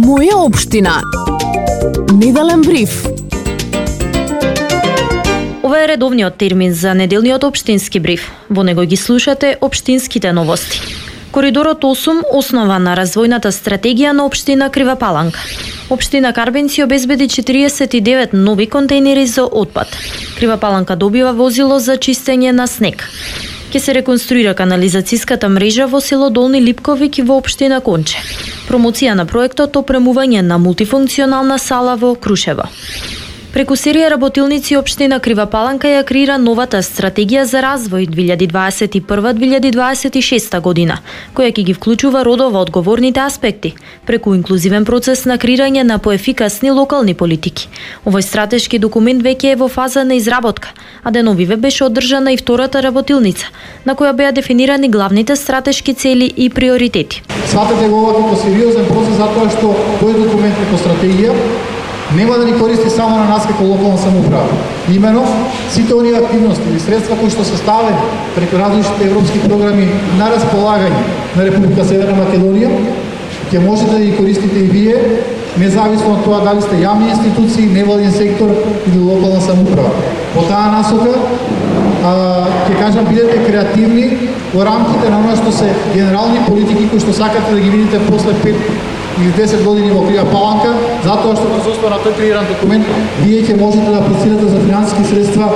Моја општина. Неделен бриф. Ова е редовниот термин за неделниот општински бриф. Во него ги слушате општинските новости. Коридорот 8 основа на развојната стратегија на општина Крива Паланка. Општина Карбенци обезбеди 49 нови контейнери за отпад. Крива Паланка добива возило за чистење на снег. Ке се реконструира канализацијската мрежа во село Долни Липковик и во општина Конче. Промоција на проектот опремување на мултифункционална сала во Крушево. Преку серија работилници општина Крива Паланка ја креира новата стратегија за развој 2021-2026 година, која ќе ги вклучува родово одговорните аспекти, преку инклузивен процес на креирање на поефикасни локални политики. Овој стратешки документ веќе е во фаза на изработка, а деновиве беше одржана и втората работилница, на која беа дефинирани главните стратешки цели и приоритети. Сватете го ова како сериозен процес затоа што тој документ како стратегија нема да ни користи само на нас како локална самоуправа. Имено, сите оние активности или средства кои што се ставени преку различните европски програми на располагање на Република Северна Македонија, ќе можете да ги користите и вие, независно од тоа дали сте јавни институции, невладин сектор или локална самоуправа. По таа насока, ќе кажам, бидете креативни во рамките на оно што се генерални политики кои што сакате да ги видите после 5 или 10 години во Крива Паланка, затоа што во основа на тој креиран документ вие ќе можете да аплицирате за финансиски средства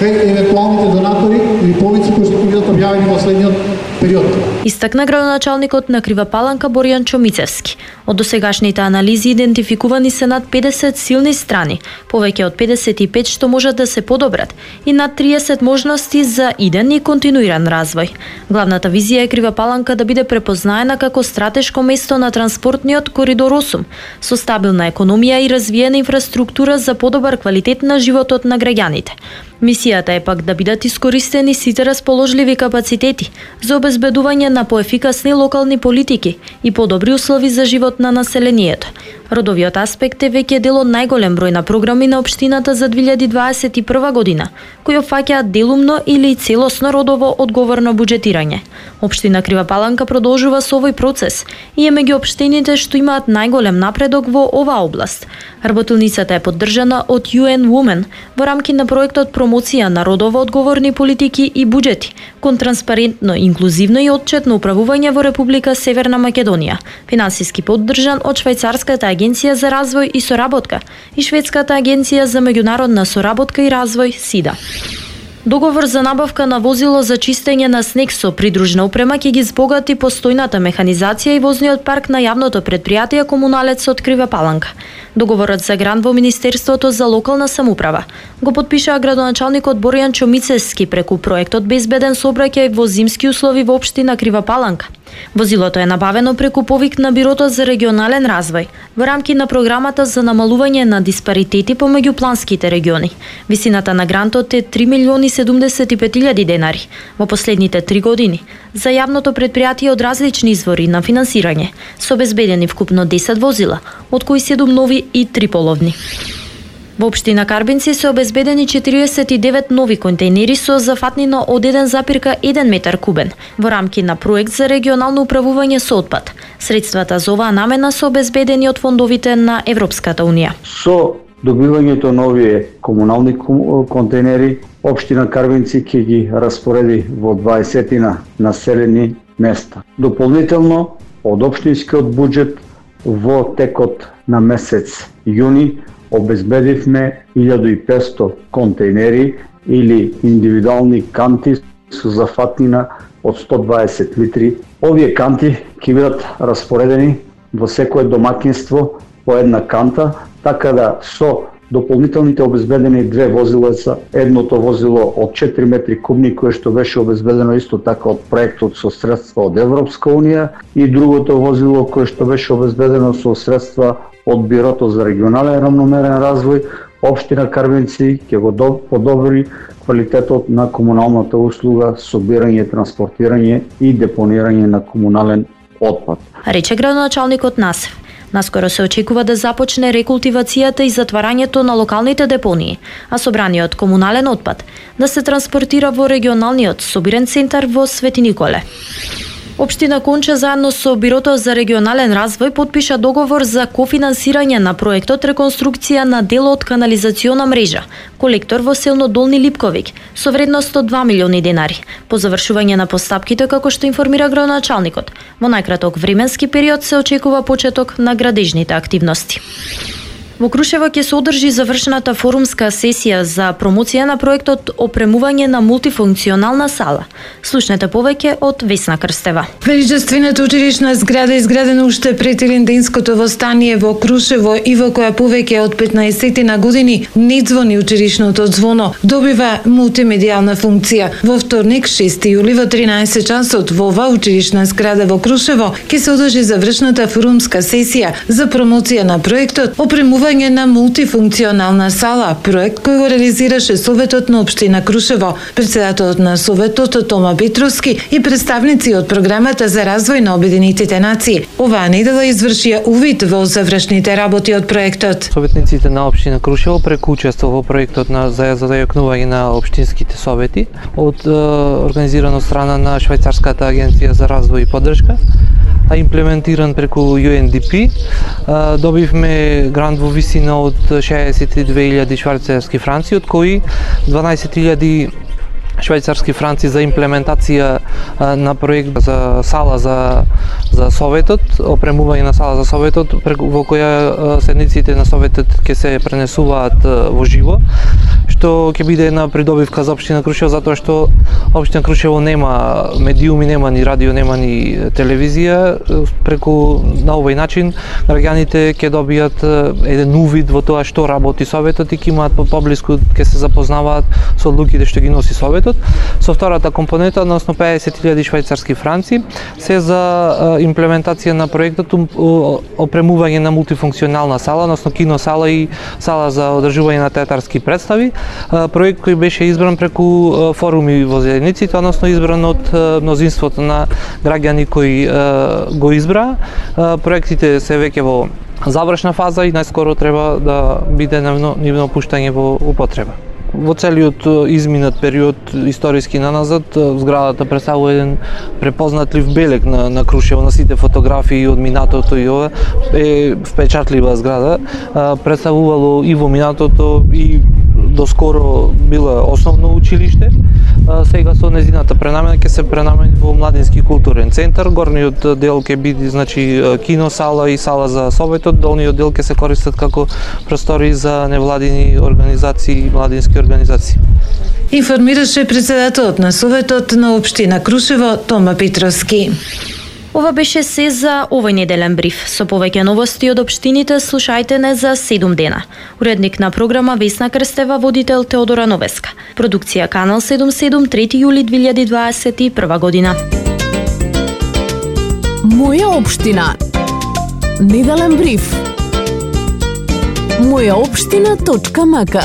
кај евентуалните донатори или повици кои што ќе бидат објавени во следниот период. Истакна градоначалникот на Крива Паланка Боријан Чомицевски. Од досегашните анализи идентификувани се над 50 силни страни, повеќе од 55 што можат да се подобрат и над 30 можности за иден и континуиран развој. Главната визија е Крива Паланка да биде препознаена како стратешко место на транспортниот коридор 8, со стабилна економија и развиена инфраструктура за подобар квалитет на животот на граѓаните. Мисијата е пак да бидат искористени сите расположливи капацитети за обезбедување на поефикасни локални политики и подобри услови за живот на населението. Родовиот аспект е веќе дел од најголем број на програми на општината за 2021 година, кои опфаќаат делумно или целосно родово одговорно буџетирање. Општина Крива Паланка продолжува со овој процес и е меѓу општините што имаат најголем напредок во оваа област. Работилницата е поддржана од UN Women во рамки на проектот промоција на родово одговорни политики и буџети кон транспарентно, инклузивно и отчетно управување во Република Северна Македонија, финансиски поддржан од Швајцарската агенција за развој и соработка и Шведската агенција за меѓународна соработка и развој СИДА. Договор за набавка на возило за чистење на снег со придружна опрема ќе ги збогати постојната механизација и возниот парк на јавното претпријатие Комуналец од Крива Паланка. Договорот за грант во Министерството за локална самоуправа го потпиша градоначалникот Боријан Чомицевски преку проектот Безбеден сообраќај во зимски услови во општина Крива Паланка. Возилото е набавено преку повик на Бирото за регионален развој во рамки на програмата за намалување на диспаритети помеѓу планските региони. Висината на грантот е 3.075.000 денари во последните 3 години за јавното претпријатие од различни извори на финансирање, со обезбедени вкупно 10 возила, од кои 7 нови и 3 половни. Во општина Карбенци се обезбедени 49 нови контейнери со зафатнина од 1,1 метар кубен во рамки на проект за регионално управување со отпад. Средствата за оваа намена се обезбедени од фондовите на Европската унија. Со добивањето на овие комунални контейнери, општина Карбенци ќе ги распореди во 20 населени места. Дополнително од општинскиот буџет во текот на месец јуни обезбедивме 1500 контейнери или индивидуални канти со зафатнина од 120 литри. Овие канти ќе бидат распоредени во секое домаќинство по една канта, така да со дополнителните обезбедени 2 возилеца, едното возило од 4 метри кубни кое што беше обезбедено исто така од проектот со средства од Европска унија и другото возило кое што беше обезбедено со средства од Бирото за регионален рамномерен развој, општина Карбенци ќе го подобри квалитетот на комуналната услуга собирање, транспортирање и депонирање на комунален отпад. Рече градоначалникот Насев. Наскоро се очекува да започне рекултивацијата и затварањето на локалните депонии, а собраниот комунален отпад да се транспортира во регионалниот собирен центар во Свети Николе. Општина Конча заедно со Бирото за регионален развој подпиша договор за кофинансирање на проектот реконструкција на дел од канализациона мрежа, колектор во селно Долни Липковик, со вредност од 2 милиони денари. По завршување на постапките, како што информира градоначалникот, во најкраток временски период се очекува почеток на градежните активности. Во Крушево ќе се одржи завршената форумска сесија за промоција на проектот опремување на мултифункционална сала. Слушнете повеќе од Весна Крстева. Величествената училишна зграда изградена уште пред Илинденското востание во Крушево и во која повеќе од 15 на години не звони училишното звоно, добива мултимедијална функција. Во вторник, 6 јули во 13 часот во оваа училишна зграда во Крушево ќе се одржи завршната форумска сесија за промоција на проектот опремување на мултифункционална сала, проект кој го реализираше Советот на општина Крушево, председателот на Советот Тома Петровски и представници од програмата за развој на Обединетите нации. Оваа недела извршија увид во завршните работи од проектот. Советниците на општина Крушево преку учество во проектот за зајакнување на општинските совети од организирано страна на Швајцарската агенција за развој и поддршка, а имплементиран преку UNDP, добивме грант во висина од 62.000 швајцарски франци, од кои 12.000 швајцарски франци за имплементација на проект за сала за Советот, опремување на сала за Советот, во која седниците на Советот ќе се пренесуваат во живо, што ќе биде една придобивка за општина Крушево, затоа што општина Крушево нема медиуми, нема ни радио, нема ни телевизија. Преку на овој начин граѓаните ќе добијат еден увид во тоа што работи Советот и ќе имаат поблиску, ќе се запознаваат со одлуките што ги носи Советот. Со втората компонента, односно 50.000 швајцарски франци, се за имплементација на проектот опремување на мултифункционална сала, односно киносала и сала за одржување на театарски представи. Проект кој беше избран преку форуми во заедниците, односно избран од мнозинството на граѓани кои го избра. Проектите се веќе во завршна фаза и најскоро треба да биде нивно пуштање во употреба. Во целиот изминат период историски наназад, зградата представува еден препознатлив белег на Крушево, на сите фотографии од минатото и ова е впечатлива зграда. Представувало и во минатото и доскоро била основно училиште. Сега со незината пренамена ќе се пренамени во младински културен центар. Горниот дел ќе биде киносала и сала за Советот, долниот дел ќе се користат како простори за невладини организации и младински организации. Информираше председателот на Советот на општина Крушево Тома Петровски. Ова беше се за овој неделен бриф. Со повеќе новости од општините слушајте не за 7 дена. Уредник на програма Весна Крстева, водител Теодора Новеска. Продукција Канал 77, 3 јули 2021 година. Моја општина. Неделен бриф. Мојаопштина.мк